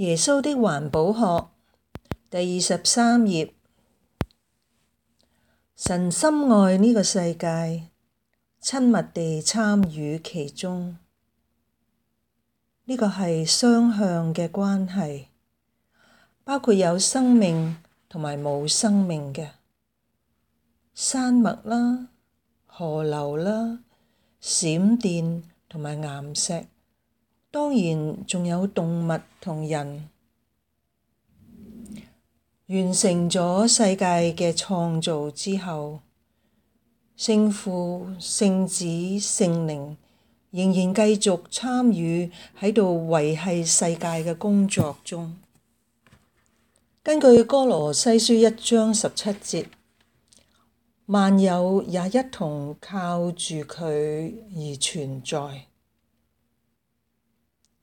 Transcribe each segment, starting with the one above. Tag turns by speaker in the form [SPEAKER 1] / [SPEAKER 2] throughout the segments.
[SPEAKER 1] 耶穌的環保學第23頁。神深愛呢個世界，親密地參與其中。呢個係雙向嘅關係，包括有生命同埋冇生命嘅山脈啦、河流啦、閃電同埋岩石，當然仲有動物同人。完成咗世界嘅創造之後，聖父、聖子、聖靈仍然繼續參與喺度維繫世界嘅工作中。根據哥羅西書1章17節，萬有也一同靠住佢而存在。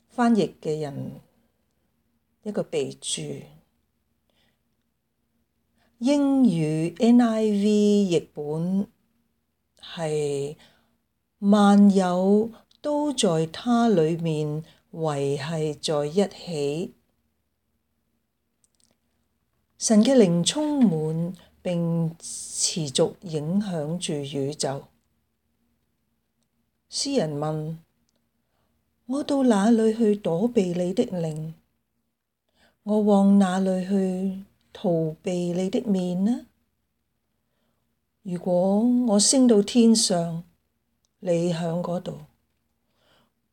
[SPEAKER 1] 翻譯嘅人一個備註。英語 NIV 譯本係萬有都在他裏面維繫在一起。神嘅靈充滿並持續影響住宇宙。詩人問：我到哪裏去躲避你的靈？我往哪裏去逃避你的面呢？如果我升到天上，你喺嗰度；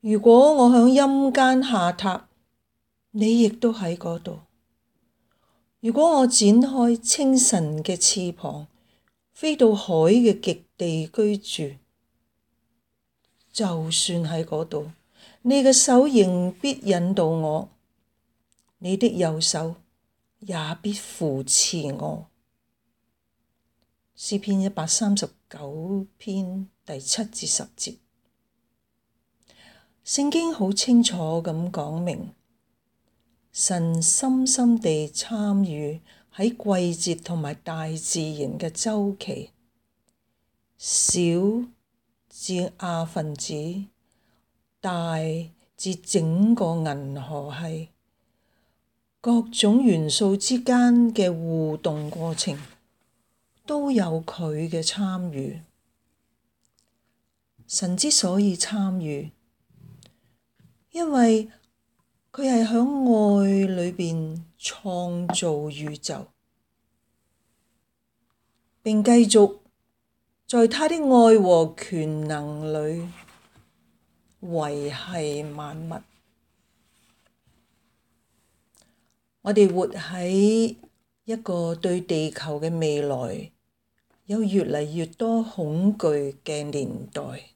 [SPEAKER 1] 如果我喺陰間下榻，你亦都喺嗰度；如果我展開清晨嘅翅膀，飛到海嘅極地居住，就算喺嗰度，你嘅手仍必引導我，你的右手也必扶持我。詩篇139篇第7至10節。聖經好清楚咁講明，神深深地參與喺季節同埋大自然嘅週期，小至亞分子，大至整個銀河系，各種元素之間嘅互動過程都有佢嘅參與。神之所以參與，因為佢係喺愛裏邊創造宇宙，並繼續在他的愛和權能裏維繫萬物。我哋活喺一個對地球嘅未來有越嚟越多恐懼嘅年代。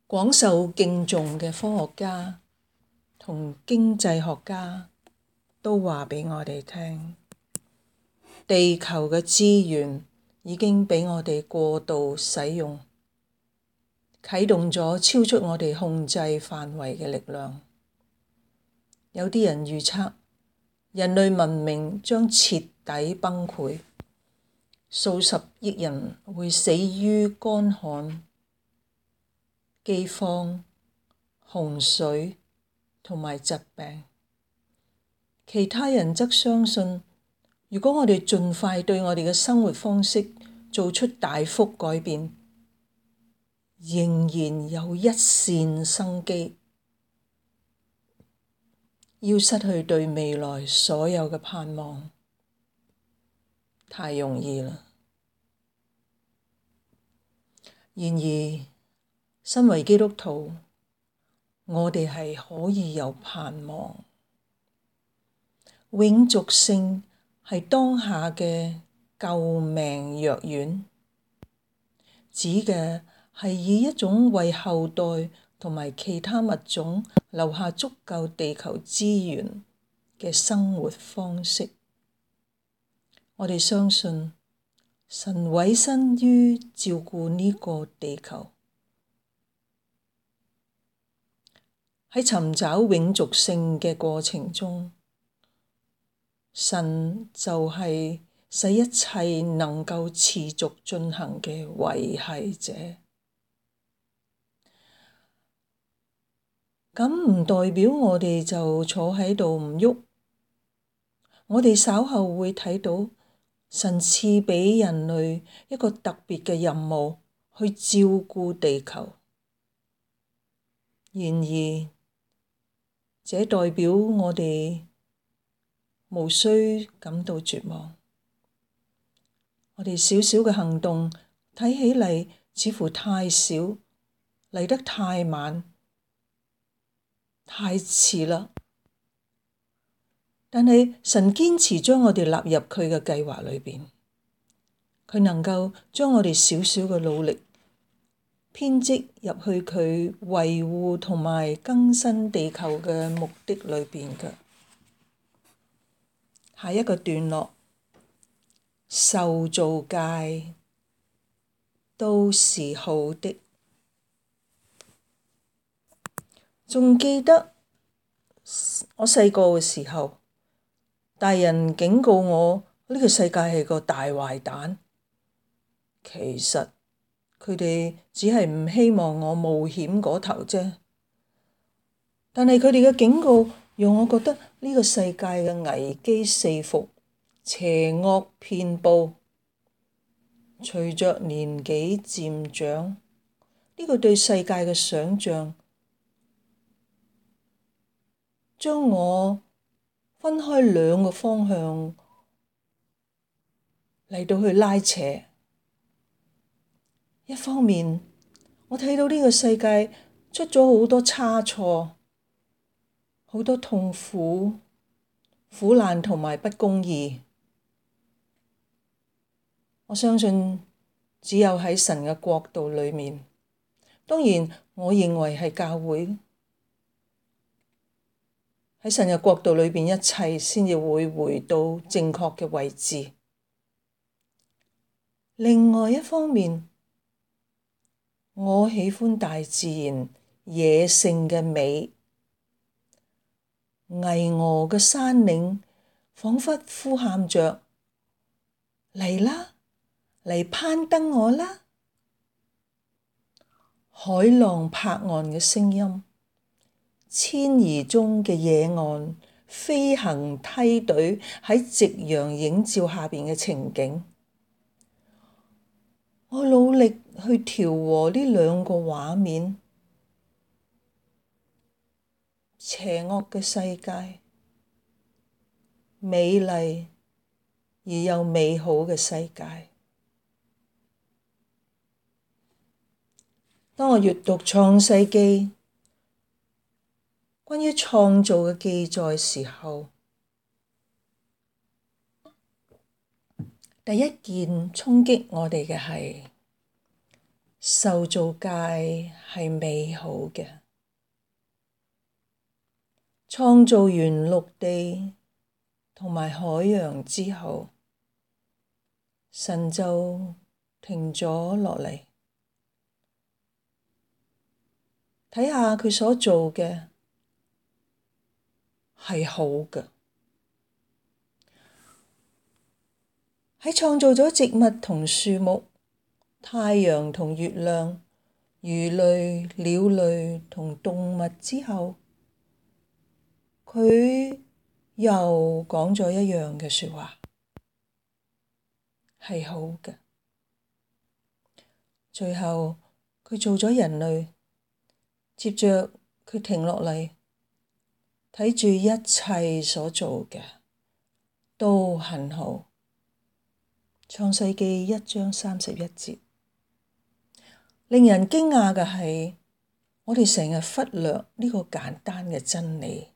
[SPEAKER 1] 廣受敬重嘅科學家同經濟學家都話俾我哋聽，地球嘅資源已經俾我哋過度使用，啟動咗超出我哋控制範圍嘅力量。有啲人預測人類文明將徹底崩潰，數十億人會死於乾旱、饑荒、洪水同埋疾病。其他人則相信，如果我哋盡快對我哋嘅生活方式做出大幅改變，仍然有一線生機。要失去對未來所有嘅盼望，太容易啦。然而，身為基督徒，我哋係可以有盼望。永續性係當下嘅救命藥丸，指嘅係以一種為後代同埋其他物種留下足夠地球資源嘅生活方式。我哋相信神委身於照顧呢個地球，喺尋找永續性嘅過程中，神就係使一切能夠持續進行嘅維繫者。咁唔代表我哋就坐喺度唔喐。我哋稍後會睇到神賜畀人類一個特別嘅任務，去照顧地球。然而，這代表我哋無需感到絕望。我哋小小嘅行動睇起嚟似乎太少，嚟得太晚，太遲啦。但係神堅持將我哋納入佢嘅計劃裏邊，佢能夠將我哋小小嘅努力編織入去佢維護同埋更新地球嘅目的裏邊嘅。下一個段落，受造界都是好的。仲記得我細個嘅時候，大人警告我呢個世界係個大壞蛋。其實佢哋只係唔希望我冒險嗰頭啫。但係佢哋嘅警告讓我覺得呢個世界嘅危機四伏，邪惡遍佈。隨着年紀漸長，呢個對世界嘅想像將我分開兩個方向嚟到去拉扯。一方面，我睇到呢個世界出咗好多差錯，好多痛苦、苦難同埋不公義。我相信只有喺神嘅國度裏面，當然我認為係教會。喺神嘅國度裏邊，一切先至會回到正確嘅位置。另外一方面，我喜歡大自然野性嘅美，巍峨嘅山嶺彷彿呼喊着：嚟啦，嚟攀登我啦！海浪拍岸嘅聲音，遷移中嘅野岸，飛行梯隊喺夕陽映照下邊嘅情景，我努力去調和呢兩個畫面。邪惡嘅世界，美麗而又美好嘅世界。當我閱讀創世記關於創造嘅記載時候，第一件衝擊我哋嘅係受造界係美好嘅。創造完陸地同埋海洋之後，神就停咗落嚟，睇下佢所做嘅係好嘅。喺創造咗植物同樹木、太陽同月亮、魚類、鳥類同動物之後，佢又講咗一樣嘅說話，係好嘅。最後佢做咗人類，接着佢停落嚟，睇住一切所做嘅都很好。創世記1章31節。令人驚訝嘅係，我哋成日忽略呢個簡單嘅真理。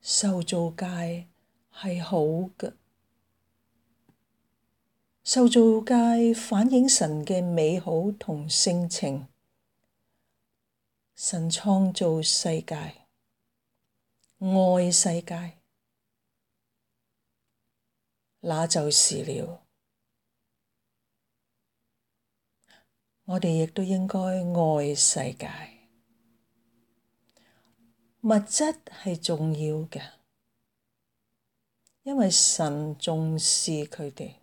[SPEAKER 1] 受造界係好嘅，受造界反映神嘅美好同性情。神創造世界，愛世界，那就是了。我哋亦都應該愛世界。物質係重要嘅，因為神重視佢哋。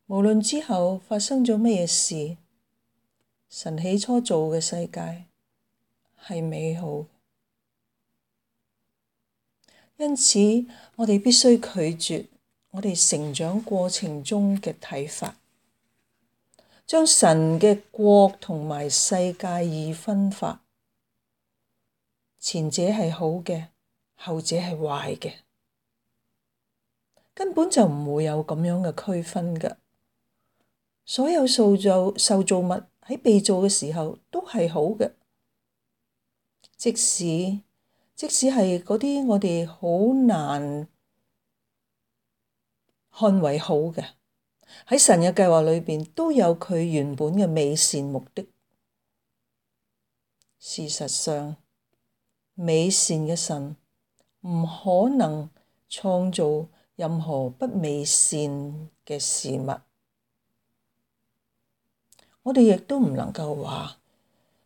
[SPEAKER 1] 無論之後發生咗乜嘢事，神起初做嘅世界係美好。因此，我哋必須拒絕我哋成長過程中嘅睇法，將神嘅國同埋世界二分法，前者係好嘅，後者係壞嘅，根本就唔會有咁樣嘅區分㗎。所有受造物喺被造嘅時候都係好嘅，即使係嗰啲我哋好難看為好嘅，喺神嘅計劃裏邊都有佢原本嘅美善目的。事實上，美善嘅神唔可能創造任何不美善嘅事物。我哋亦都唔能夠話，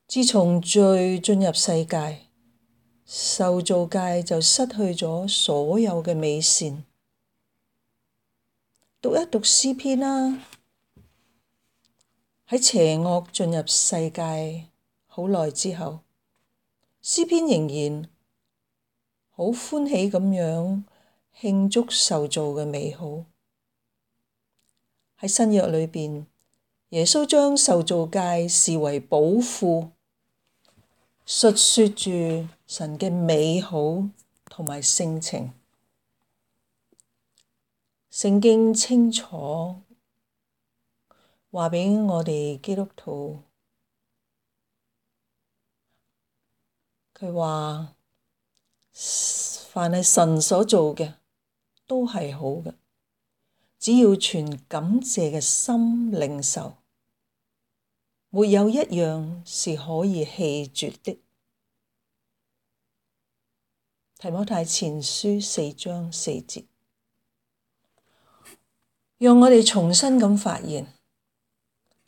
[SPEAKER 1] 自從罪進入世界，受造界就失去咗所有嘅美善。讀一讀詩篇啦，喺邪惡進入世界好耐之後，詩篇仍然好歡喜咁樣慶祝受造嘅美好。喺新約裏邊，耶穌將受造界視為寶庫，述說住神嘅美好同埋性情。聖經清楚話畀我哋基督徒，佢話凡係神所做嘅都係好嘅，只要存感謝嘅心領受，沒有一樣是可以棄絕的。提摩太前書4章4節，讓我哋重新咁發現，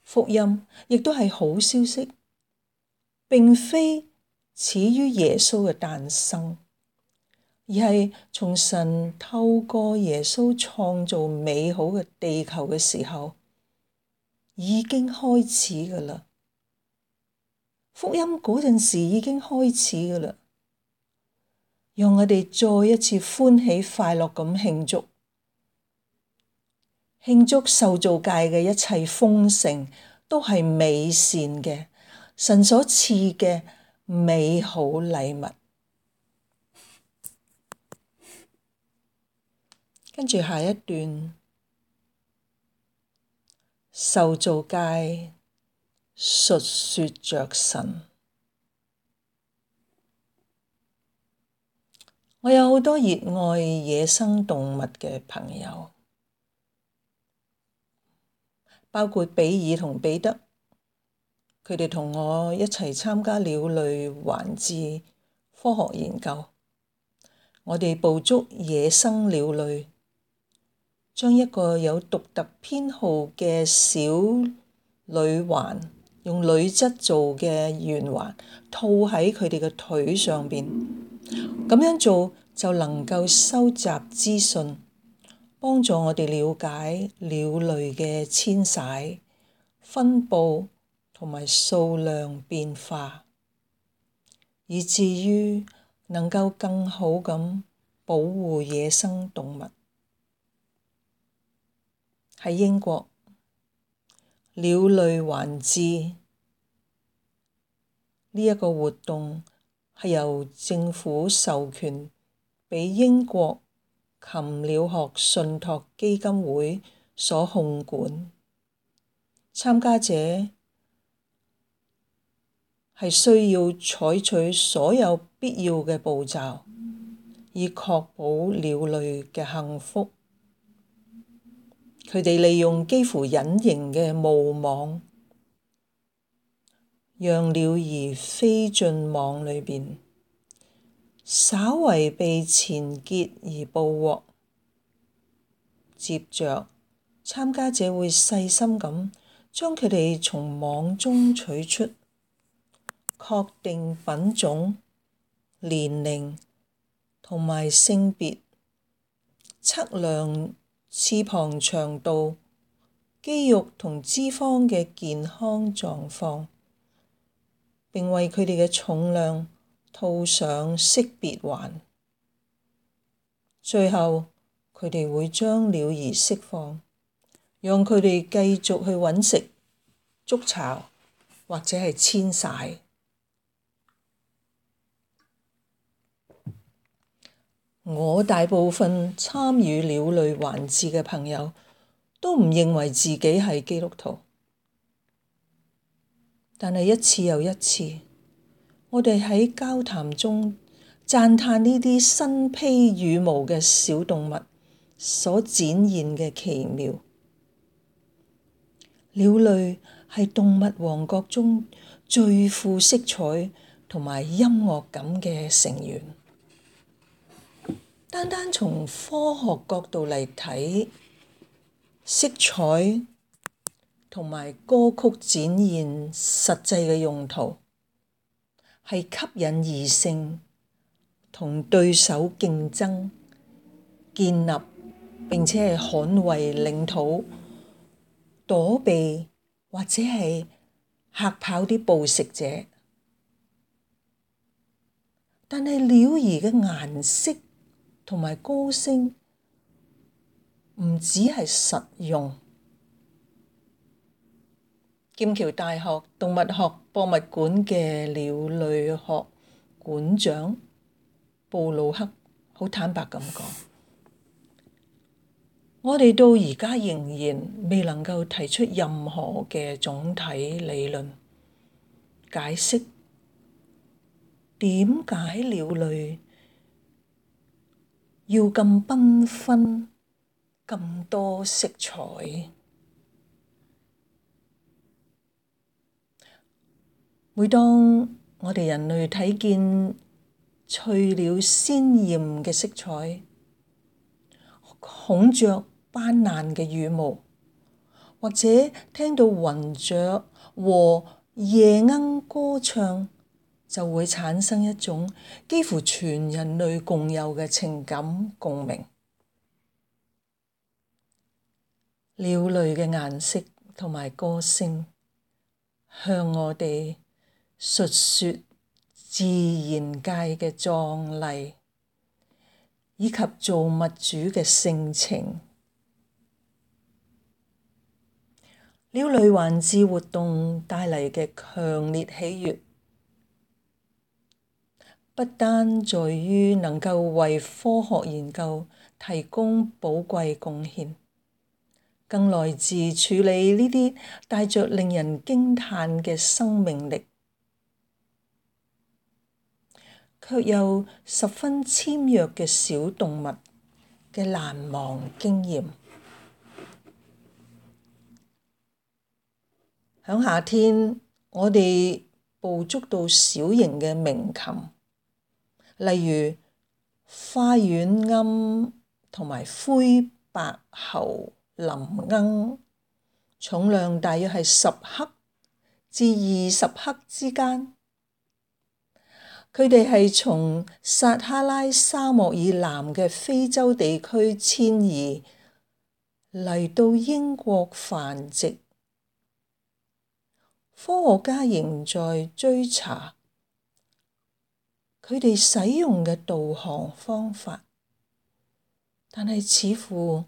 [SPEAKER 1] 福音亦都係好消息，並非始於耶穌嘅誕生，而係從神透過耶穌創造美好嘅地球嘅時候已經開始㗎喇。福音嗰陣時已經開始㗎喇，讓我哋再一次歡喜快樂咁慶祝受造界嘅一切豐盛都係美善嘅，神所賜嘅美好禮物。跟住下一段，受造界述說着神。我有好多熱愛野生動物嘅朋友，包括比爾同彼得，佢哋同我一齊參加鳥類環志科學研究。我哋捕捉野生鳥類，將一個有獨特編號嘅小鋁環，用鋁質做嘅圓環套喺佢哋嘅腿上邊，咁樣做就能夠收集資訊，幫助我哋了解鳥類嘅遷徙、分佈同埋數量變化，以至於能夠更好咁保護野生動物。喺英國，鳥類環志呢一個活動係由政府授權俾英國禽鳥學信託基金會所控管，參加者係需要採取所有必要嘅步驟，以確保鳥類嘅幸福。佢哋利用幾乎隱形嘅霧網，讓鳥兒飛進網裏邊，稍為被纏結而捕獲。接着，參加者會細心咁將佢哋從網中取出，確定品種、年齡同埋性別，測量翅膀長度、肌肉同脂肪嘅健康狀況，並為佢哋嘅重量套上識別環。最後，佢哋會將鳥兒釋放，讓佢哋繼續去揾食、築巢或者係遷徙。我大部分參與鳥類環節嘅朋友都唔認為自己係基督徒，但係一次又一次，我哋喺交談中讚嘆呢啲身披羽毛嘅小動物所展現嘅奇妙。鳥類係動物王國中最富色彩同埋音樂感嘅成員。單單從科學角度嚟睇，色彩同埋歌曲展現實際嘅用途，係吸引異性同對手競爭、建立並且係捍衛領土、躲避或者係嚇跑啲捕食者。但係鳥兒嘅顏色同埋歌聲唔只係實用。劍橋大學動物學博物館嘅鳥類學館長布魯克好坦白咁講，我哋到而家仍然未能夠提出任何嘅總體理論解釋點解鳥類要咁繽紛、咁多色彩。每當我哋人類睇見翠鳥鮮豔嘅色彩、孔雀斑斕嘅羽毛，或者聽到雲雀和夜鶯歌唱，就會產生一種幾乎全人類共有嘅情感共鳴。鳥類嘅顏色同埋歌聲向我哋述說自然界嘅壯麗，以及造物主嘅性情。鳥類環誌活動帶嚟嘅強烈喜悅，不單在於能夠為科學研究提供寶貴貢獻，更來自處理呢啲帶着令人驚嘆嘅生命力，卻又十分纖弱嘅小動物嘅難忘經驗。響夏天，我哋捕捉到小型嘅鳴禽，例如花園鶯同埋灰白喉林鶯，重量大約係10克至20克之間。佢哋係從撒哈拉沙漠以南嘅非洲地區遷移嚟到英國繁殖。科學家仍在追查佢哋使用嘅導航方法，但係似乎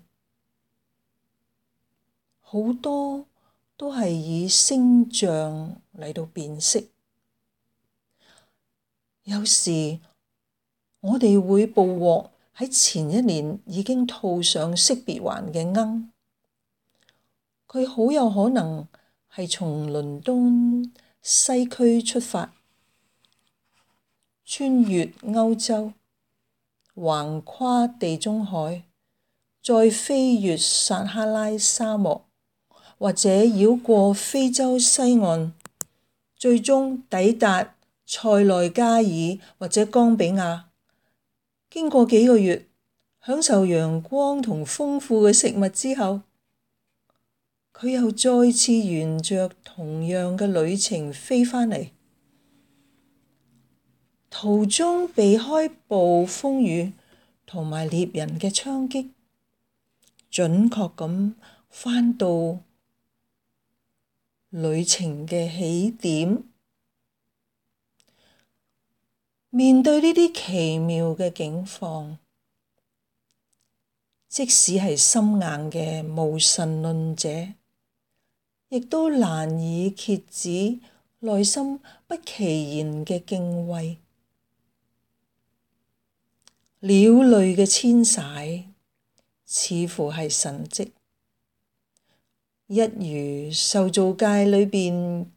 [SPEAKER 1] 好多都係以聲像嚟到辨識。有時我哋會捕獲喺前一年已經套上識別環嘅鶯，佢好有可能係從倫敦西區出發，穿越歐洲，橫跨地中海，再飛越撒哈拉沙漠，或者繞過非洲西岸，最終抵達塞內加爾或者岡比亞。經過幾個月享受陽光同豐富嘅食物之後，佢又再次沿着同樣嘅旅程飛返嚟，途中避開暴風雨同埋獵人嘅槍擊，準確咁返到旅程嘅起點。面對呢啲奇妙嘅境況，即使係心硬嘅無神論者，亦都難以遏止內心不其然嘅敬畏。鳥類嘅遷徙似乎係神蹟，一如受造界裏邊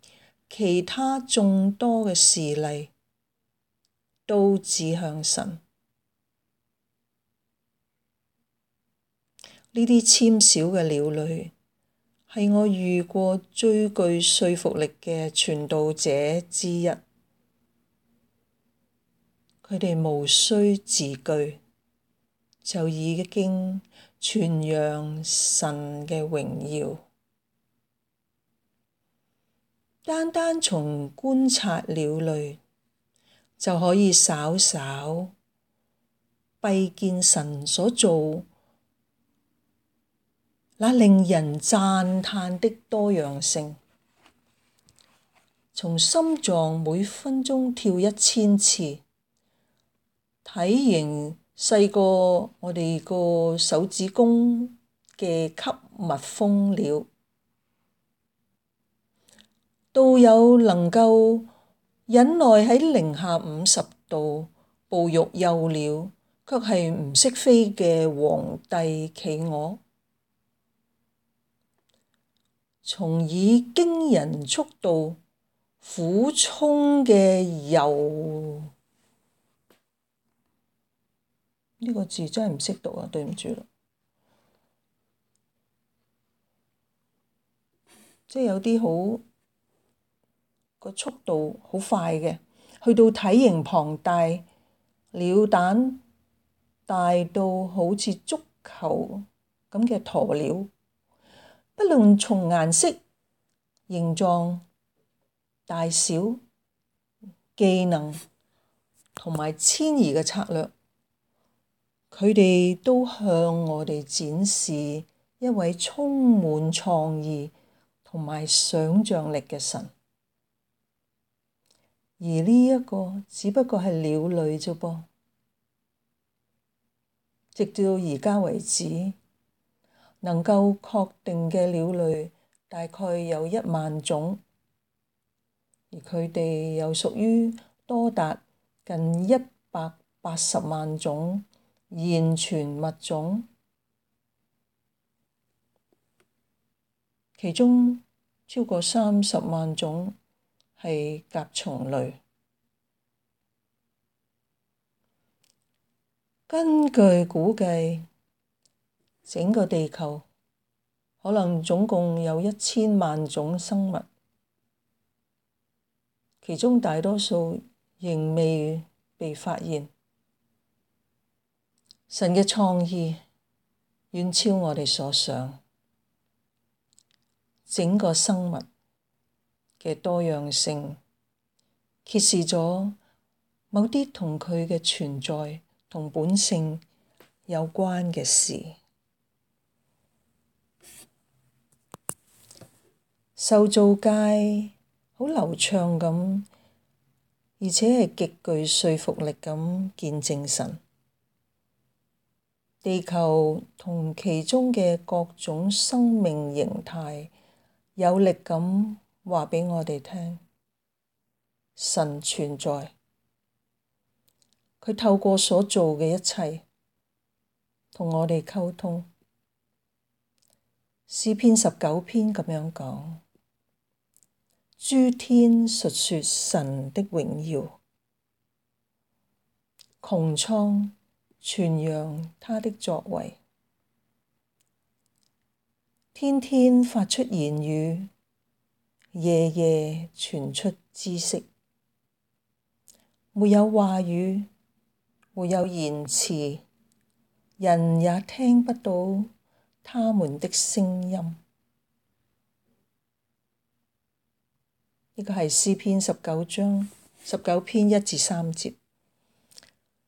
[SPEAKER 1] 其他眾多嘅事例，都指向神。呢啲纖小嘅鳥類係我遇過最具說服力嘅傳道者之一。佢哋無需字句，就已經傳揚神嘅榮耀。單單從觀察鳥類，就可以稍稍閉見神所造那令人讚嘆的多樣性。從心臟每分鐘跳1000次，體型細過我哋個手指公嘅吸蜜蜂鳥，都有能夠忍耐喺-50°哺育幼鳥，卻係唔識飛嘅皇帝企鵝。從以驚人速度俯衝嘅游，呢個字真係唔識讀啊，對唔住啦。即係有啲好個速度好快嘅，去到體型龐大，鳥蛋大到好似足球咁嘅鴕鳥，不論從顏色、形狀、大小、技能同埋遷移嘅策略，佢哋都向我哋展示一位充滿創意同埋想像力嘅神。而呢一個只不過係鳥類啫噃，直到而家為止，能夠確定嘅鳥類大概有1萬種，而佢哋又屬於多達近180萬種現存物種，其中超過30萬種係甲蟲類。根據估計，整個地球可能總共有1000萬種生物，其中大多數仍未被發現。神嘅創意遠超我哋所想，整個生物嘅多樣性揭示咗某啲同佢嘅存在同本性有關嘅事。受造界好流暢咁，而且係極具說服力咁見證神。地球同其中嘅各種生命形態有力咁話俾我哋聽，神存在。佢透過所做嘅一切同我哋溝通。詩篇19篇咁樣講：諸天述說神的榮耀，穹蒼傳揚他的作為。天天發出言語，夜夜傳出知識。沒有話語，沒有言辭，人也聽不到他們的聲音。呢個係詩篇19篇1至3節。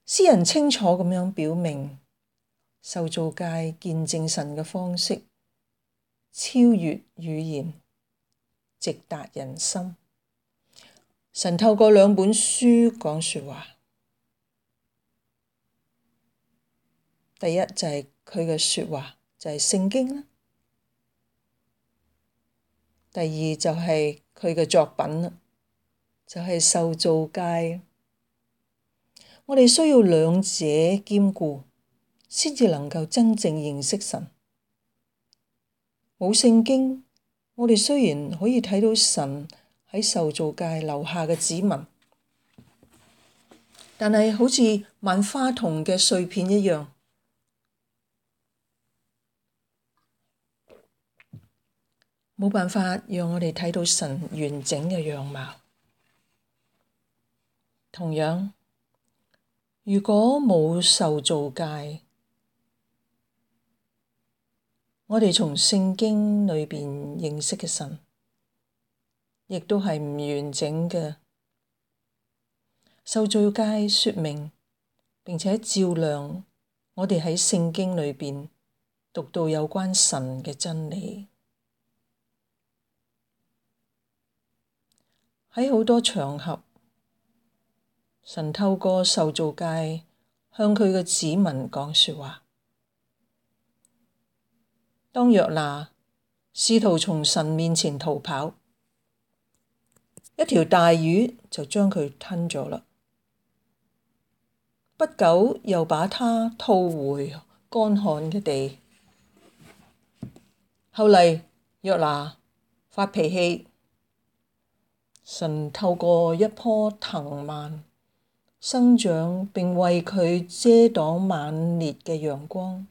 [SPEAKER 1] 詩人清楚咁樣表明，受造界見證神嘅方式超越語言，直達人心。神透過2本書講說話，第一就係佢嘅說話，就係聖經啦。第二就係佢嘅作品啦，就係受造界。我哋需要兩者兼顧，先至能夠真正認識神。冇聖經，我哋雖然可以睇到神喺受造界留下嘅指紋，但係好似萬花筒嘅碎片一樣，冇辦法讓我哋睇到神完整嘅樣貌。同樣，如果冇受造界，我哋從聖經裏邊認識嘅神，亦都係唔完整嘅。受造界說明並且照亮我哋喺聖經裏邊讀到有關神嘅真理。喺好多場合，神透過受造界向佢嘅子民講說話。當約拿試圖從神面前逃跑，一條大魚就將佢吞咗啦。不久又把他吐回乾旱嘅地。後嚟約拿發脾氣，神透過一棵藤蔓生長並為佢遮擋猛烈嘅陽光，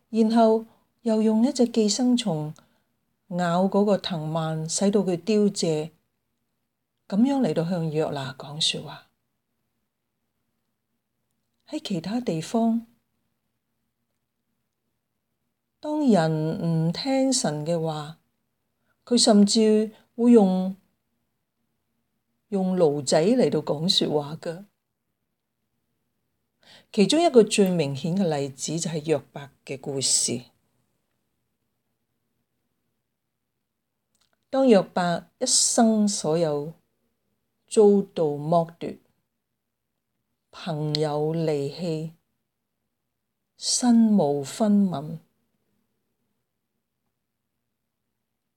[SPEAKER 1] 然後又用一隻寄生蟲咬嗰個藤蔓，使到佢凋謝，咁樣嚟到向約拿講說話。喺其他地方，當人唔聽神嘅話，佢甚至會用驢仔嚟到講說話㗎。其中一個最明顯嘅例子就係約伯嘅故事。當約伯一生所有遭到剝奪，朋友離棄，身無分文，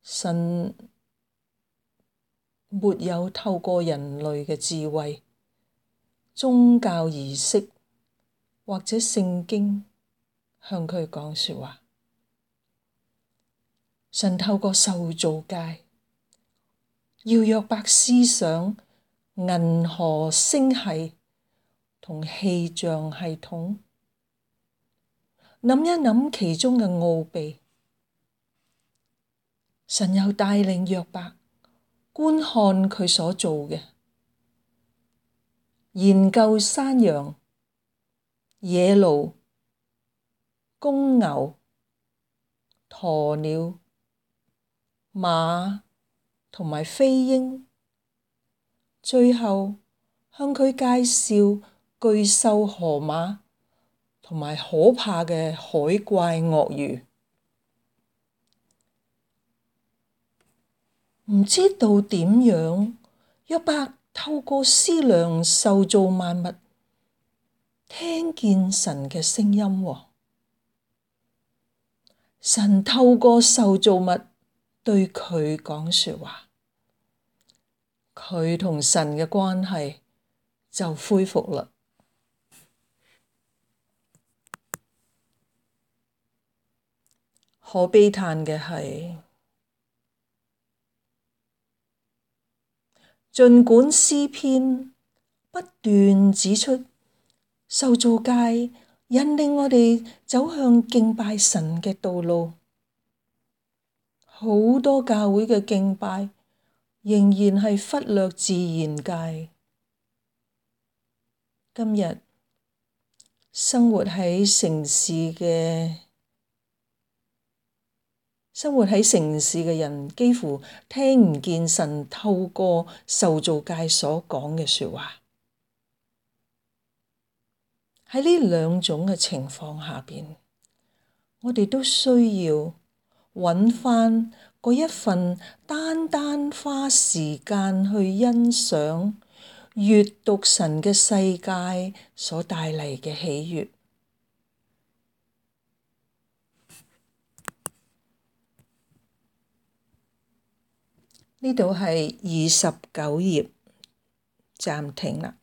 [SPEAKER 1] 神沒有透過人類嘅智慧、宗教儀式或者聖經向佢講說話。神透過受造界，要約伯思想銀河星系同氣象系統，諗一諗其中嘅奧秘。神又帶領約伯觀看佢所做嘅，研究山羊、野驢、公牛、鴕鳥、馬同埋飛鷹，最後向佢介紹巨獸河馬同埋可怕嘅海怪鱷魚。唔知道點樣，約伯透過思量受造萬物，聽見神嘅聲音喎。神透過受造物對佢講說話，佢同神嘅關係就恢復啦。可悲嘆嘅係，儘管詩篇不斷指出受造界引領我哋走向敬拜神嘅道路，好多教會嘅敬拜仍然係忽略自然界。今日生活喺城市嘅人，幾乎聽唔見神透過受造界所講嘅說話。喺呢兩種嘅情況下邊，我哋都需要揾返嗰一份單單花時間去欣賞、閱讀神嘅世界所帶嚟嘅喜悅。呢度係29頁，暫停啦。